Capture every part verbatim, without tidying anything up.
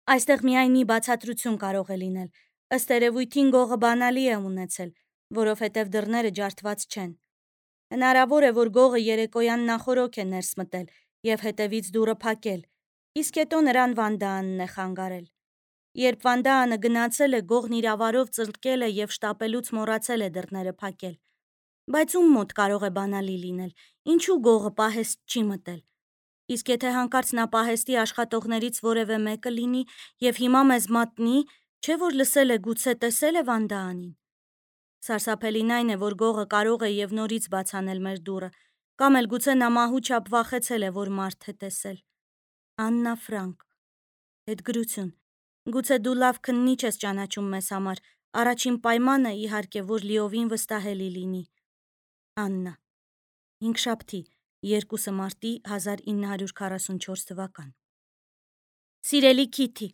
Այստեղ միայն մի բացատրություն կարող է լինել, ըստ երևույթին գողը բանալի է ունեցել, որովհետև դռները ջարդված չեն։ Հնարավոր է, որ գողը երեկոյան նախօրոք է ներս մտել և հետևից դուռը փակել, իսկ հետո նրան Վանդաանն է խանգարել։ Երբ Վանդաանը գնացել է, գողն իր ավարով ծլկել է և շտապելուց մոռացել է դռները փակել։ Բայց ում մոտ կարող է բանալի լինել, ինչու գողը պահեստ չի մտել։ Իսկ եթե հանկարծ նա պահեստի աշխատողներից որևէ մեկը լինի և հիմա մեզ մատնի, չէ՞ որ լսել է, գուցե տեսել է Վանդաանին։ Սարսափելին այն է, որ գողը կարող է և նորից բաց անել մեր դուռը, կամ էլ գուցե նա մահու չափ վախեցել է, որ մարդ է տեսել։ Աննա Ֆրանկ։ Հետգրություն։ Գուցե դու լավ քննիչ ես ճանաչում մեզ համար, առաջին պայմանը, իհարկե, որ լիովին վստահելի լինի։ Աննա։ Հինգշաբթի, երկուշաբթի մարտի հազար ինը հարյուր քառասունչորս թվական։ Սիրելի Քիթի,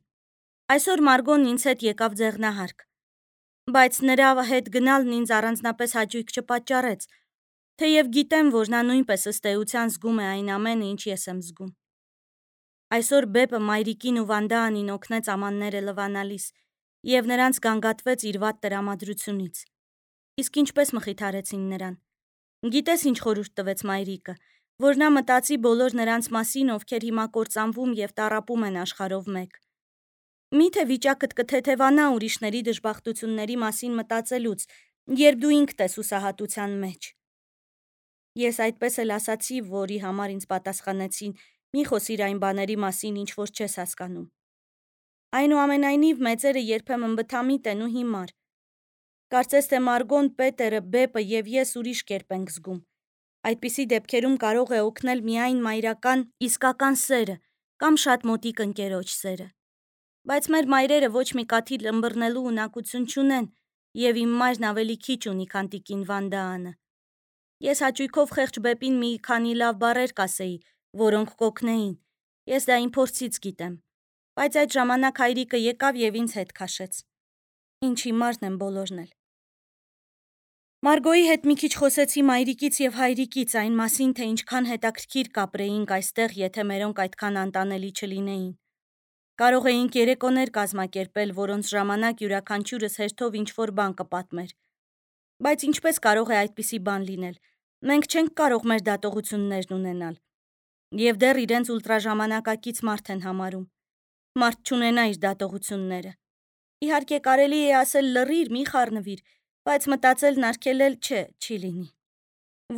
այսօր Մարգոն ինձ հետ եկավ ձեղնահարկ, բայց նրա հետ գնալն ինձ առանձնապես հաճույք չպատճառեց, թեև գիտեմ, որ նա նույնպես ըստ էության զգում է այն ամենը, ինչ ես եմ զգում։ Այսօր Բեպը մայրիկին ու Վանդաանին օգնեց ամանները լվանալիս և նրանց գանգատվեց իր վատ տրամադրությունից։ Իսկ ինչպես մխիթարեցին նրան։ Գիտես ինչ խորհուրդ տվեց մայրիկը, որ նա մտածի բոլոր նրանց մասին, ովքեր հիմա կործանվում և տառապում են աշխարհով մեկ։ Միթե վիճակդ կթեթևանա ուրիշների դժբախտությունների մասին մտածելուց, երբ դու ինքդ ես հուսահատության մեջ։ Ես այդպես էլ ասացի, որի համար ինձ պատասխանեցին՝ մի խոսիր այն բաների մասին, ինչ որ չես հասկանում։ Այնուամենայնիվ, մեծերը երբեմն բթամիտ են ու հիմար։ Կարծես թե Մարգոն, Պետերը, Բեպը և ես ուրիշ կերպ ենք զգում։ Այդպիսի դեպքերում կարող է օգնել միայն մայրական իսկական սերը կամ շատ մոտիկ ընկերոջ սերը։ Բայց մեր մայրերը ոչ մի կաթիլ ըմբռնելու ունակություն չունեն, և իմ մայրն ավելի քիչ ունի, քան տիկին Վանդաանը։ Ես հաճույքով խեղճ Բեպին մի քանի լավ բառեր կասեի, որոնք կօգնեին, ես դա իմ փորձից գիտեմ, բայց այդ ժամանակ հայրիկը եկավ և ինձ հետ քաշեց։ Ինչ հիմարն են բոլորն էլ։ Մարգոյի հետ մի քիչ խոսեցի մայրիկից և հայրիկից այն մասին, թե ինչքան հետաքրքիր կապրեինք այստեղ, եթե մերոնք այդքան անտանելի չլինեին։ Կարող էինք երեկոներ կազմակերպել, որոնց ժամանակ յուրաքանչյուրս հերթով ինչ-որ բան կպատմեր։ Բայց ինչպես կարող է այդպիսի բան լինել։ Մենք չենք կարող մեր դատողություններն ունենալ։ Եվ դեռ իրենց ուլտրաժամանակակից մարդ են համարում։ Մարդ չունենա իր դատողությունները։ Իհարկե կարելի է ասել լռիր, մի խառնվիր, բայց մտածելն արգելել չէ, չի լինի։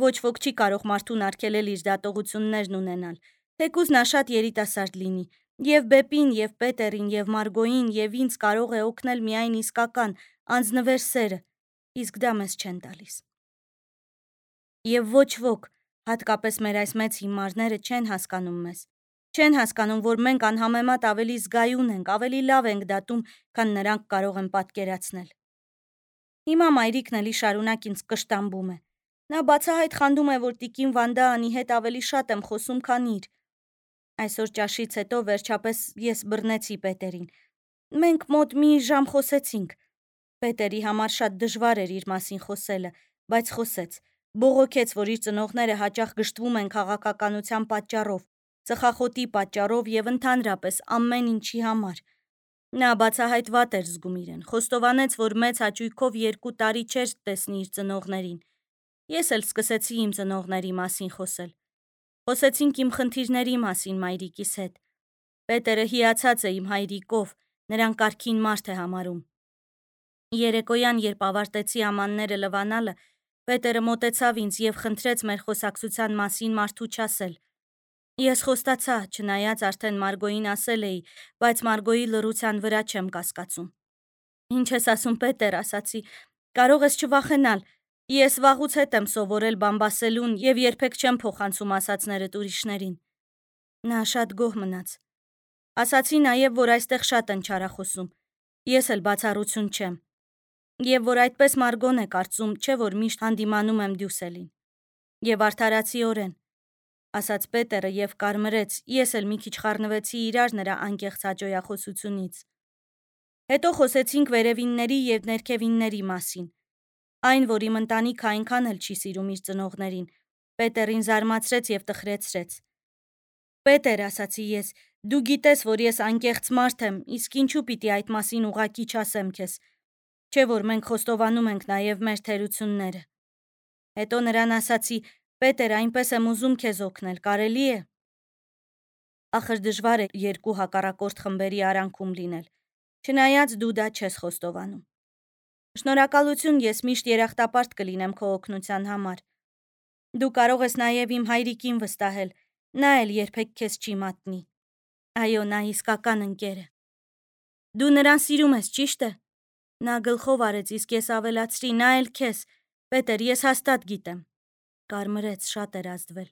Ոչ ոք չի կարող մարդուն արգելել իր դատողություններն ունենալ, թեկուզ նա շատ երիտասարդ լինի, և Բեպին, և Պետերին, և Մարգոյին, և ինձ կարող է օգնել միայն իսկական, անձնվեր սերը, իսկ դա մեզ չեն տալիս։ Եվ ոչ ոք, հատկապես մեր այս մեծ հիմարները, չեն հասկանում մեզ։ Չեն հասկանում, որ մենք անհամեմատ ավելի զգայուն ենք, ավելի լավ ենք դատում, քան նրանք կարող են պատկերացնել։ Հիմա մայրիկն էլի շարունակ ինձ կշտամբում է։ Նա բացահայտ խանդում է, որ տիկին Վանդաանի հետ ավելի շատ եմ խոսում, քան իր։ Այսօր ճաշից հետո վերջապես ես բռնեցի Պետերին։ Մենք մոտ մի ժամ խոսեցինք։ Պետերի համար շատ դժվար էր իր մասին խոսելը, բայց խոսեց։ Բողոքեց, որ իր ծնողները հաճախ գժտվում են քաղաքականության պատճառով, ծխախոտի պատճառով և ընդհանրապես ամեն ինչի համար։ Նա բացահայտ վատ էր զգում իրեն, խոստովանեց, որ մեծ հաճույքով երկու տարի չէր տեսնի իր ծնողներին։ Ես էլ սկսեցի իմ ծնողների մասին խոսել։ Խոսեցինք իմ խնդիրների մասին մայրիկիս հետ։ Պետերը հիացած է իմ հայրիկով, նրան կարգին մարդ է համարում։ Երեկոյան, երբ ավարտեցի ամանները լվանալը, Պետերը մոտեցավ ինձ և խնդրեց մեր խոսակցության մասին մարդու չասել։ Ես խոստացա, չնայած արդեն Մարգոյին ասել էի, բայց Մարգոյի լռության վրա չեմ կասկածում։ Ինչ ես ասում, Պետեր, ասացի, կարող ես չվախենալ, ես վաղուց հետ եմ սովորել բամբասելուն և երբեք չեմ փոխանցում ասածներդ ուրիշներին։ Նա շատ գոհ մնաց։ Ասացի նաև, որ այստեղ շատ են չարախոսում, ես էլ բացառություն չեմ։ Եվ որ այդպես Մարգոն է կարծում, չէ որ միշտ հանդիմանում եմ Դյուսելին։ Եվ արդարացիորեն, ասաց Պետերը և կարմրեց, ես էլ մի քիչ խառնվեցի իրար նրա անկեղծ հաճոյախոսությունից։ Հետո խոսեցինք վերևինների և ներքևինների մասին։ Այն, որ իմ ընտանիքը այնքան էլ չի սիրում իր ծնողներին, Պետերին զարմացրեց և տխրեցրեց։ Պետեր, ասացի ես, Դու գիտես, որ ես անկեղծ մարդ եմ, իսկ ինչու պիտի այդ մասին ուղղակի չասեմ քեզ։ Չէ՞ որ մենք խոստովանում ենք նաև մեր թերությունները։ Հետո նրան ասացի. «Պետեր, այնպես եմ ուզում քեզ օգնել, կարելի է»։ Ախր դժվար է երկու հակառակորդ խմբերի արանքում լինել, չնայած դու դա չես խոստովանում։ Շնորհակալություն, ես միշտ երախտապարտ կլինեմ քո օգնության համար։ Դու կարող ես նաև իմ հայրիկին վստահել, նա էլ երբեք քեզ չի մատնի։ Այո, նա իսկական ընկեր է։ Դու նրան սիրում ես, ճիշտ է։ Նա գլխով արեց, իսկ ես ավելացրի, նա էլ քեզ։ Պետեր, ես հաստատ գիտեմ։ Կարմրեց, շատ էր ազդվել։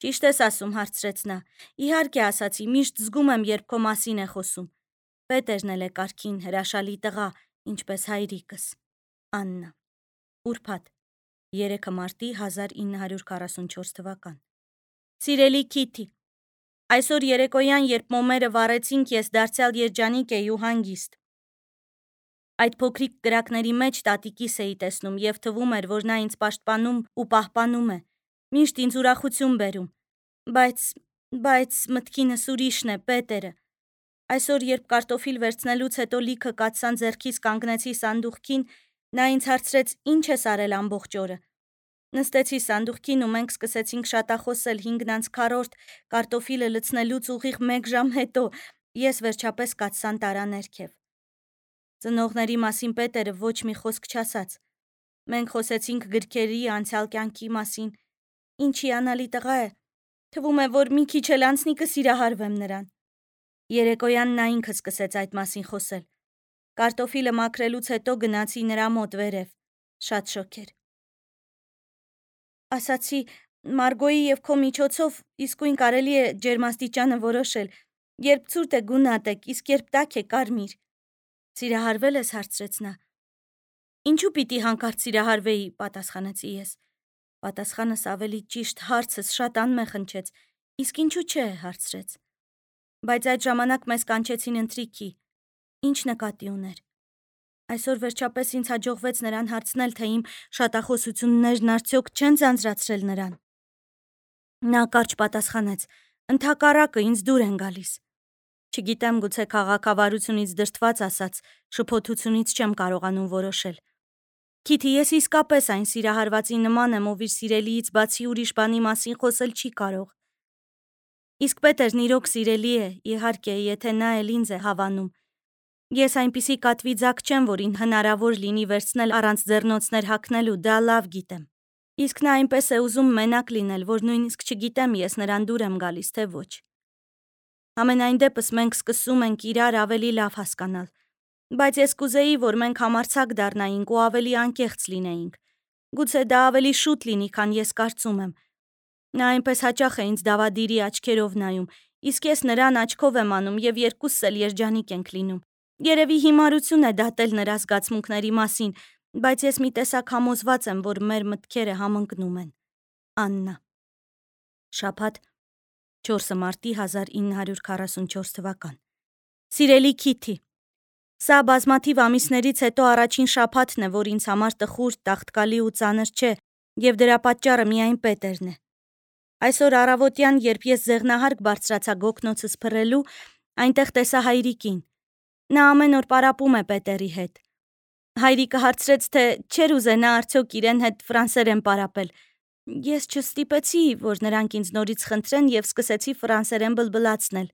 Ճիշտ ես ասում, հարցրեց նա։ Իհարկե ասացի, միշտ զգում եմ, երբ քո մասին է խոսում։ Պետերն էլ է կարգին, հրաշալի տղա, ինչպես հայրիկս։ Աննա։ Ուրբաթ, երեքը մարտի հազար ինը հարյուր քառասունչորս թվական։ Սիրելի Քիթի, այսօր երեկոյան, երբ մոմերը վառեցինք, ես դարձյալ երջանիկ էի ու հանգիստ։ Այդ փոքրիկ կրակների մեջ տատիկիս էի տեսնում և թվում էր, որ նա ինձ պաշտպանում ու պահպանում է, միշտ ինձ ուրախություն բերում, բայց, բայց մտքինս ուրիշն է, Պետերը։ Այսօր, երբ կարտոֆիլ վերցնելուց հետո լիքը կաթսան ձեռքից կանգնեցի սանդուղքին, նա ինձ հարցրեց. «Ինչ ես արել ամբողջ օրը»։ Նստեցի սանդուղքին ու մենք սկսեցինք շատախոսել հինգն անց քառորդ կարտոֆիլը լցնելուց ուղիղ մեկ ժամ հետո, ես վերջապես կաթսան տարա ներքև։ Ծնողների մասին Պետերը ոչ մի խոսք չասաց։ Մենք խոսեցինք գրքերի, անցյալ կյանքի մասին։ Ինչ հիանալի տղա է։ Թվում է, որ մի քիչ էլ անցնի կսիրահարվեմ նրան։ Երեկոյան նա ինքը սկսեց այդ մասին խոսել։ Կարտոֆիլը մաքրելուց հետո գնացի նրա մոտ վերև։ Շատ շոգ էր։ Ասացի. «Մարգոյի և քո միջոցով իսկույն կարելի է ջերմաստիճանը որոշել, երբ ցուրտ է գունատեք, իսկ երբ տաք է կարմիր»։ Սիրահարվել ես, հարցրեց նա։ Ինչու պիտի հանկարծ սիրահարվեի, պատասխանեցի ես։ Պատասխանս ավելի ճիշտ, հարցս շատ անմեղ հնչեց։ Իսկ ինչու չէ, հարցրեց։ Բայց այդ ժամանակ մեզ կանչեցին ընթրիքի։ Ինչ նկատի ուներ։ Այսօր վերջապես ինձ հաջողվեց նրան հարցնել, թե իմ շատախոսություններն արդյոք չեն ձանձրացրել նրան։ Նա կարճ պատասխանեց. «Ընդհակառակը, ինձ դուր են գալիս»։ Չգիտեմ, գուցե քաղաքավարությունից դրդված ասած, շփոթությունից չեմ կարողանում որոշել։ Քիթի, ես իսկապես այն սիրահարվածի նման եմ, ով իր սիրելիից բացի ուրիշ բանի մասին խոսել չի կարող։ Իսկ Պետերն իրոք սիրելի է, իհարկե, եթե նա էլ ինձ է հավանում։ Ես այնպիսի կատվի ձագ չեմ, որին հնարավոր լինի վերցնել առանց ձեռնոցներ հագնելու, դա լավ գիտեմ։ Իսկ նա այնպես է ուզում մենակ լինել, որ նույնիսկ չգիտեմ ես նրան դուր եմ գալիս, թե ոչ։ Համենայն դեպս մենք սկսում ենք իրար ավելի լավ հասկանալ։ Բայց ես կուզեի, որ մենք համարձակ դառնայինք ու ավելի անկեղծ լինեինք։ Գուցե դա ավելի շուտ լինի, քան ես կարծում եմ։ Նա այնպես հաճախ է ինձ դավադիրի աչքերով նայում, իսկ ես նրան աչքով եմ անում և երկուսս էլ երջանիկ ենք լինում։ Երևի հիմարություն է դատել նրա զգացմունքների մասին, բայց ես մի տեսակ համոզված եմ, որ մեր մտքերը համընկնում են։ Աննա։ Շաբաթ, չորսը մարտի հազար ինը հարյուր քառասունչորս թվական։ Սիրելի Քիթի, սա բազմաթիվ ամիսներից հետո առաջին շաբաթն է, որ ինձ համար տխուր, տաղտկալի ու ծանր չէ, և դրա պատճառը միայն Պետերն է։ Այսօր առավոտյան, երբ ես ձեղնահարկ բարձրացա գոգնոցս փռելու, այնտեղ տեսա հայրիկին։ Նա ամեն օր պարապում է Պետերի հետ։ Հայրիկը հարցրեց, թե չէր ուզենա արդյոք իրեն հետ ֆրանսերեն պարապել։ Ես չստիպեցի, որ նրանք ինձ նորից խնդրեն և սկսեցի ֆրանսերեն բլբլացնել։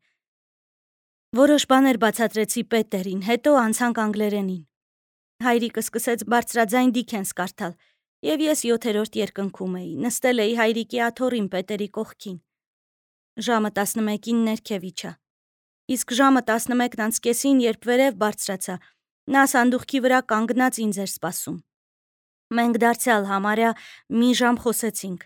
Որոշ բաներ բացատրեցի Պետերին, հետո անցանք անգլերենին։ Հայրիկը սկսեց բարձրաձայն Դիքենս կարդալ, և ես յոթերորդ երկնքում էի, նստել էի հայրիկի աթոռին Պետերի կողքին։ Ժամը տասնմեկին ներքև իջա։ Իսկ ժամը տասնմեկն անց կեսին, երբ վերև բարձրացա, նա սանդուղքի վրա կանգնած ինձ էր սպասում։ Մենք դարձյալ համարյա մի ժամ խոսեցինք։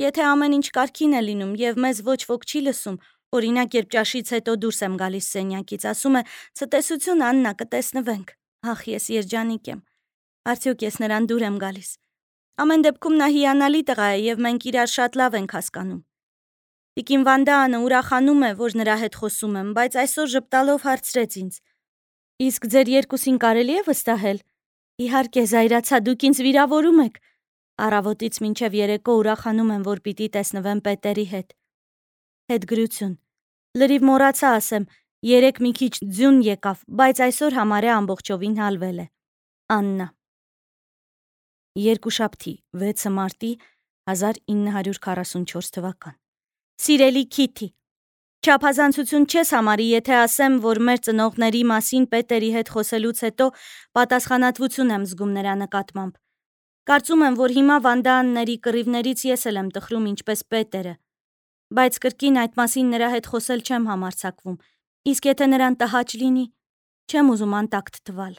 Եթե ամեն ինչ կարգին է լինում և մեզ ոչ ոք չի լսում, օրինակ, երբ ճաշից հետո դուրս եմ գալիս սենյակից, ասում է. «Ցտեսություն, Աննա, կտեսնվենք»։ Ախ, ես երջանիկ եմ։ Արդյոք ես նրան դուր եմ գալիս։ Ամեն դեպքում նա հիանալի տղա է և մենք իրար շատ լավ ենք հասկանում։ Տիկին Վանդաանը ուրախանում է, որ նրա հետ խոսում եմ, բայց այսօր ժպտալով հարցրեց ինձ. «Իսկ ձեր երկուսին կարելի է վստահել»։ Իհարկե, զայրացա, դուք ինձ վիրավորում եք։ Առավոտից մինչև երեկո ուրախանում եմ, որ պիտի տեսնվեմ Պետերի հետ։ Հետգրություն։ Լրիվ մոռացա ասեմ, երեք մի քիչ ձյուն եկավ, բայց այսօր համարյա ամբողջովին հալվել է։ Աննա։ Երկուշաբթի, վեցը մարտի հազար ինը հարյուր քառասունչորս թվական։ Սիրելի Քիթի, չափազանցություն չես համարի, եթե ասեմ, որ մեր ծնողների մասին Պետերի հետ խոսելուց հետո պատասխանատվություն եմ զգում նրա նկատմամբ։ Կարծում եմ, որ հիմա Վանդաանների կռիվներից ես էլ եմ տխրում ինչպես Պետերը, բայց կրկին այդ մասին նրա հետ խոսել չեմ համարձակվում, իսկ եթե նրան տհաճ լինի, չեմ ուզում անտակտ թվալ։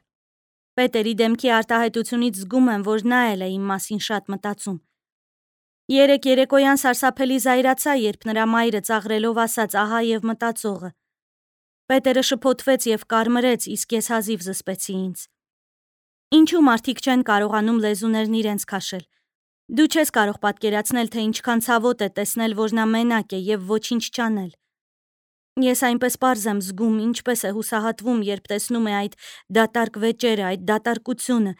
Պետերի դեմքի արտահայտությունից զգում եմ, որ նա էլ է իմ մասին շատ մտածում։ Երեք երեկոյան սարսափելի զայրացա, երբ նրա մայրը ծաղրելով ասաց ահա եւ մտածողը։ Պետերը շփոթվեց եւ կարմրեց, իսկ ես հազիվ զսպեցի ինձ։ Ինչու մարդիկ չեն կարողանում լեզուներն իրենց քաշել։ Դու չես կարող պատկերացնել, թե ինչքան ցավոտ է տեսնել, որ նա մենակ է եւ ոչինչ չանել։ Ես այնպես պարզ եմ զգում, ինչպես է հուսահատվում, երբ տեսնում է այդ դատարկ վեճերը, այդ դատարկությունը։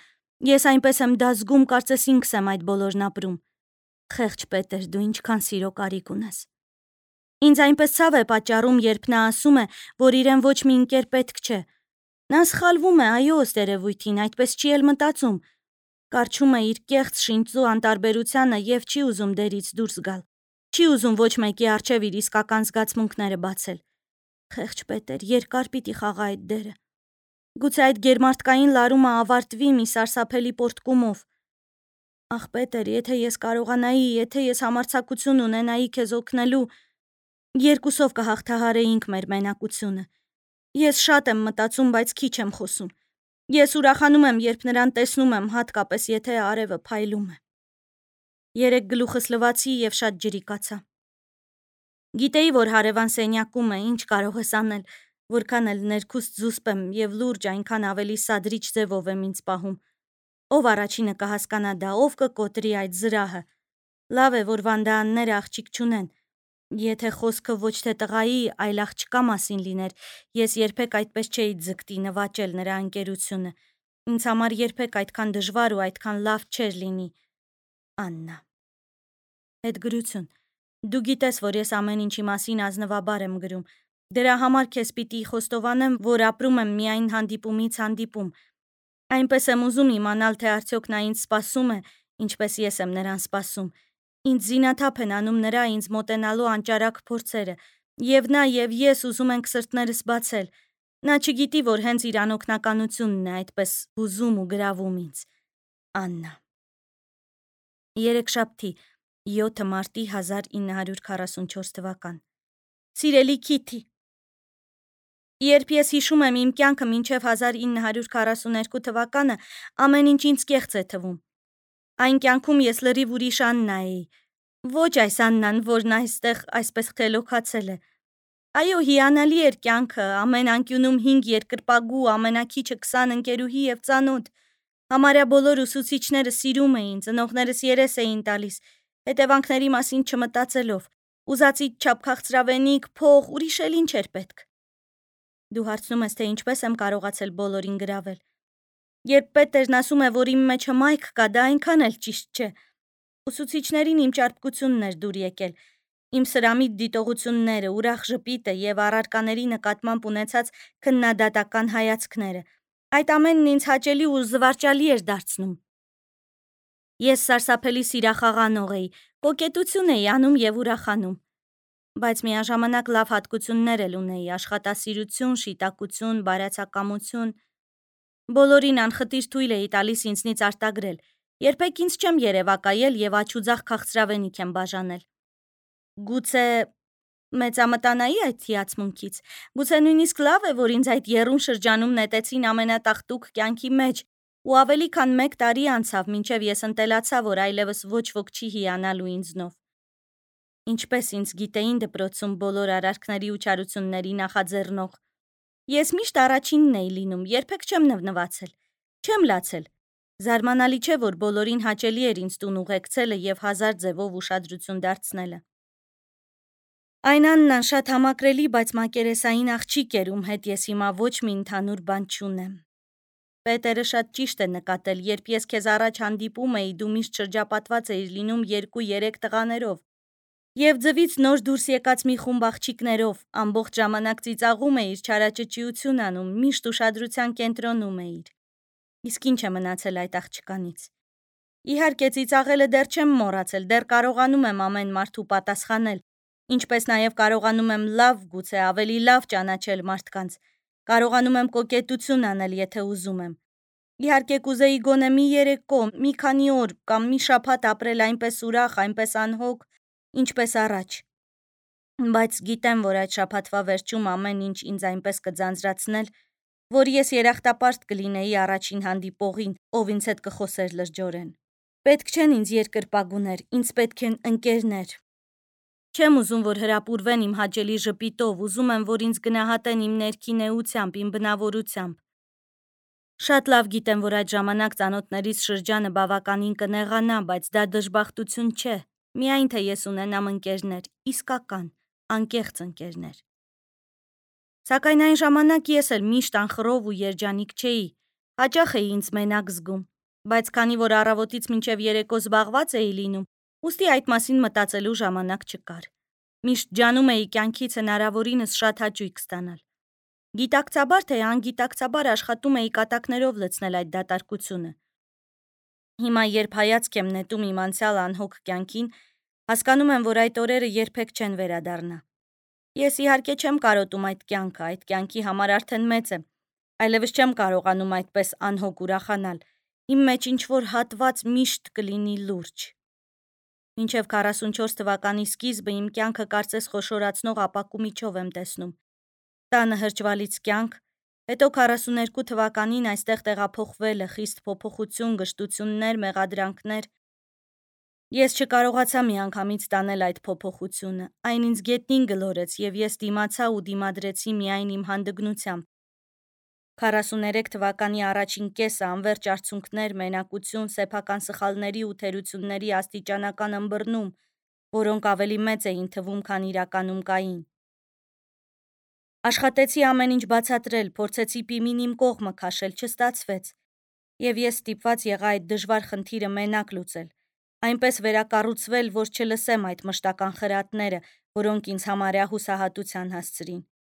Ես այնպես եմ դա զգում, կարծես ինքս եմ այդ բոլորն ապրում։ Խեղճ Պետեր, դու ինչքան սիրո կարիք ունես։ Ինձ այնպես ցավ է պատճառում, երբ նա ասում է, որ իրեն ոչ մի ընկեր պետք չէ։ Նա սխալվում է, այո, ըստ երևույթին, այդպես չի էլ մտածում։ Կարչում է իր կեղծ շինծու անտարբերությանը եւ չի ուզում դերից դուրս գալ։ Չի ուզում ոչ մեկի առջև իր իսկական զգացմունքները բացել։ Խեղճ Պետեր, երկար պիտի խաղա այդ դերը։ Գուցե այդ գերմարտկային լարումը ավարտվի մի սարսափելի պոռթկումով։ Ախ, Պետեր, եթե ես կարողանայի, եթե ես համարձակություն ունենայի քեզ օգնելու, երկուսով կհաղթահարեինք մեր մենակությունը։ Ես շատ եմ մտածում, բայց քիչ եմ խոսում։ Ես ուրախանում եմ, երբ նրան տեսնում եմ, հատկապես եթե արևը փայլում է։ Երեք գլուխս լվացի եւ շատ ջրիկացա։ Գիտեի, որ հարևան սենյակում է, ինչ կարող ես անել, որքան էլ ներքուստ զուսպ եմ եւ լուրջ այնքան ավելի սադրիչ ձևով եմ ինձ պահում։ Ով առաջինը կհասկանա դա, ով կկոտրի այդ զրահը։ Լավ է, որ Վանդաանները աղջիկ չունեն։ Եթե խոսքը ոչ թե տղայի, այլ աղջկա մասին լիներ, ես երբեք այդպես չէի ձգտի նվաճել նրա ընկերությունը։ Ինձ համար երբեք այդքան դժվար ու այդքան լավ չէր լինի։ Աննա։ Հետգրություն։ Դու գիտես, որ ես ամեն ինչի մասին ազնվաբար եմ գրում։ Դրա համար քեզ պիտի խոստովանեմ, որ ապրում եմ միայն հանդիպումից հանդիպում։ Այնպես եմ ուզում իմանալ, թե արդյոք նա ինձ սպասում է, ինչպես ես եմ նրան սպասում։ Ինձ զինաթափ են անում նրա ինձ մոտենալու անճարակ փորձերը, եւ նա եւ ես ուզում ենք սրտներս բացել։ Նա չգիտի, որ հենց իր անօգնականությունն է այդպես հուզում ու գրավում ինձ։ Աննա։ Երեքշաբթի, յոթը մարտի հազար ինը հարյուր քառասունչորս թվական։ Սիրելի Քիթի, երբ ես հիշում եմ իմ կյանքը մինչև հազար ինը հարյուր քառասուներկու թվականը, ամեն ինչ ինձ կեղծ է թվում։ Այն կյանքում ես լրիվ ուրիշ Աննա էի։ Ոչ այս Աննան, որն այստեղ այսպես խելոքացել է։ Այո, հիանալի էր կյանքը, ամեն անկյունում հինգ երկրպագու, ամենաքիչը քսան ընկերուհի եւ ծանոթ։ Համարյա բոլոր ուսուցիչները սիրում էին, ծնողներս երես էին տալիս, հետևանքների մասին չմտածելով։ Ուզածի չափ քաղցրավենիք, փող, ուրիշ էլ ինչ էր պետք։ Դու հարցնում ես, թե ինչպես եմ կարողացել բոլորին գրավել։ Երբ Պետերն ասում է, որ իմ մեջ հմայք կա, դա այնքան էլ ճիշտ չէ։ Ուսուցիչներին իմ ճարպկությունն էր դուր եկել, իմ սրամիտ դիտողությունները, ուրախ ժպիտը եւ առարկաների նկատմամբ ունեցած քննադատական հայացքները։ Այդ ամենն ինձ հաճելի ու զվարճալի էր դարձնում։ Ես սարսափելի սիրախաղանող էի, կոկետություն էի անում եւ ուրախանում։ Բայց միաժամանակ լավ հատկություններ էլ ունեի՝ աշխատասիրություն, շիտակություն, բարյացակամություն։ Բոլորին անխտիր թույլ էի տալիս ինձնից արտագրել։ Երբեք ինձ չեմ երևակայել եւ աչուձախ քաղցրավենիք եմ բաժանել։ Գուցե մեծամտանայի այդ հիացմունքից։ Գուցե նույնիսկ լավ է, որ ինձ այդ եռուն շրջանում նետեցին ամենատախտուկ կյանքի մեջ, ու ավելի քան մեկ տարի անցավ, մինչև ես ընտելացա, որ այլևս ոչ ոք չի հիանալու ինձնով։ Ինչպես ինձ գիտեին դպրոցում բոլոր արարքների ու չարությունների նախաձեռնող։ Ես միշտ առաջինն էի լինում, երբեք չեմ նվնվացել, չեմ լացել։ Զարմանալի չէ, որ բոլորին հաճելի էր ինձ տուն ուղեկցելը եւ հազար ձևով ուշադրություն դարձնելը։ Այն Աննան շատ համակրելի, բայց մակերեսային աղջիկ էր, ում հետ ես հիմա ոչ մի ընդհանուր բան չունեմ։ Պետերը շատ ճիշտ է նկատել, երբ ես քեզ առաջ հանդիպում էի, դու միշտ շրջապատված էիր լինում երկու-երեք տղաներով։ Եվ ձվից նոր դուրս եկած մի խումբ աղջիկներով ամբողջ ժամանակ ծիծաղում էիր, չարաճճիություն անում, միշտ ուշադրության կենտրոնում էիր։ Իսկ ինչ է մնացել այդ աղջկանից։ Իհարկե ծիծաղելը դեռ չեմ մոռացել, դեռ կարողանում եմ ամեն մարդու պատասխանել, ինչպես նաև կարողանում եմ լավ, գուցե ավելի լավ ճանաչել մարդկանց, կարողանում եմ կոկետություն անել, եթե ուզում եմ։ Իհարկե կուզեի գոնե մի երեկո, մի քանի օր կամ մի շաբաթ ապրել այնպես ուրախ, այնպես անհոգ, ինչպես առաջ։ Բայց գիտեմ, որ այդ շաբաթվա վերջում ամեն ինչ ինձ այնպես կձանձրացնել, որ ես երախտապարտ կլինեի առաջին հանդիպողին, ով ինձ հետ կխոսեր լրջորեն։ Պետք չեն ինձ երկրպագուներ, ինձ պետք են ընկերներ։ Չեմ ուզում, որ հրապուրվեն իմ հաճելի ժպիտով, ուզում եմ, որ ինձ գնահատեն իմ ներքին էությամբ, իմ բնավորությամբ։ Շատ լավ գիտեմ, որ այդ ժամանակ ծանոթներիս շրջանը բավականին կնեղանա, բայց դա դժբախտություն չէ, միայն թե ես ունենամ ընկերներ, իսկական, անկեղծ ընկերներ։ Սակայն այն ժամանակ ես էլ միշտ անխռով ու երջանիկ չէի, հաճախ էի ինձ մենակ զգում, բայց քանի որ առավոտից մինչև երեկո զբաղված էի լինում, ուստի այդ մասին մտածելու ժամանակ չկար։ Միշտ ջանում էի կյանքից հնարավորինս շատ հաճույք ստանալ։ Գիտակցաբար թե անգիտակցաբար աշխատում էի կատակներով լցնել այդ դատարկությունը։ Հիմա երբ հայացք եմ նետում իմ անցյալ անհոգ կյանքին, հասկանում եմ, որ այդ օրերը երբեք չեն վերադառնա։ Ես իհարկե չեմ կարոտում այդ կյանքը, այդ կյանքի համար արդեն մեծ եմ, այլևս չեմ կարողանում այդպես անհոգ ուրախանալ, իմ մեջ ինչ-որ հատված միշտ կլինի լուրջ։ Մինչև քառասունչորս թվականի սկիզբը իմ կյանքը կարծես խոշորացնող ապակու միջով եմ տեսնում։ Տանը հրճվալից կյանք, հետո քառասուներկու թվականին այստեղ տեղափոխվելը, խիստ փոփոխություն, գժտություններ, մեղադրանքներ։ Ես չկարողացա միանգամից տանել այդ փոփոխությունը, այն ինձ գետնին գլորեց և ես դիմացա ու դիմադրեցի միայն իմ հանդգնությամբ։ քառասուներեք թվականի առաջին կեսը անվերջ արցունքներ, մենակություն, սեփական սխալների ու թերությունների աստիճանական ըմբռնում, որոնք ավելի մեծ էին թվում, քան իրականում կային։ Աշխատեցի ամեն ինչ բացատրել, փորձեցի պիմին իմ կողմը քաշել, չստացվեց, և ես ստիպված եղա այդ դժվար խնդիրը մենակ լուծել, այնպես վերակառուցվել, որ չլսեմ այդ մշտական խրատները, որոնք ինձ համարյա հուսահատության հասցրին։